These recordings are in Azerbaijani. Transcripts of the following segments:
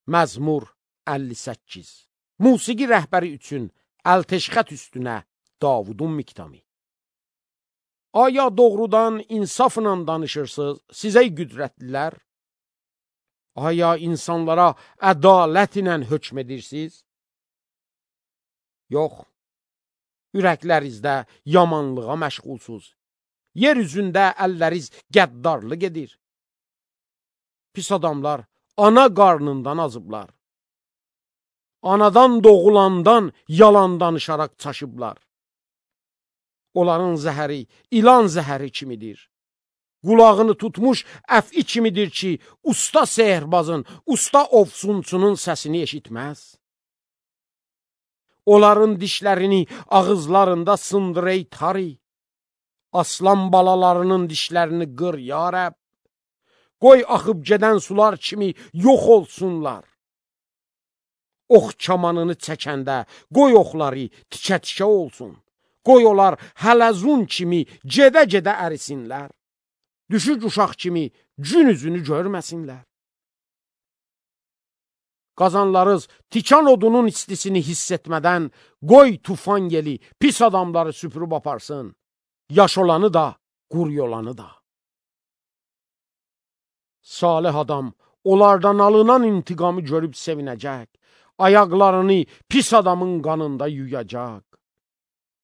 Məzmur 58. Musiqi rəhbəri üçün əlteşxət üstünə Davudun miktami. Aya doğrudan insafla danışırsınız, sizə qüdrətlilər? Aya insanlara ədalət ilə hökm edirsiniz? Yox, ürəklərinizdə yamanlığa məşğulsuz. Yer üzündə əlləriz qəddarlıq edir. Pis adamlar ana qarnından azıblar. Anadan doğulandan yalan danışaraq çaşıblar. Onların zəhəri ilan zəhəri kimidir. Qulağını tutmuş əfi kimidir ki, usta sehirbazın, usta ovsunçunun səsini eşitməz. Onların dişlərini ağızlarında sındır ey tari. Aslan balalarının dişlərini qır ya Rəbb. Qoy axıb gedən sular kimi yox olsunlar. Ox kamanını çəkəndə qoy oxları tikə-tikə olsun. Qoy onlar hələzun kimi gedə-gedə ərisinlər. Düşük uşaq kimi gün üzünü görməsinlər. Qazanlarız tikan odunun istisini hiss etmədən qoy tufan yeli pis adamları süpürüb aparsın. Yaş olanı da, quru olanı da. Salih adam onlardan alınan intiqamı görüb sevinəcək. Ayaqlarını pis adamın qanında yuyacaq.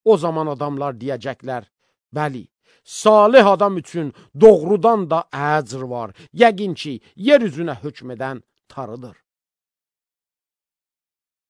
O zaman adamlar deyəcəklər, bəli, salih adam üçün doğrudan da əcr var. Yəqin ki, yer üzünə hökm edən Tanrıdır.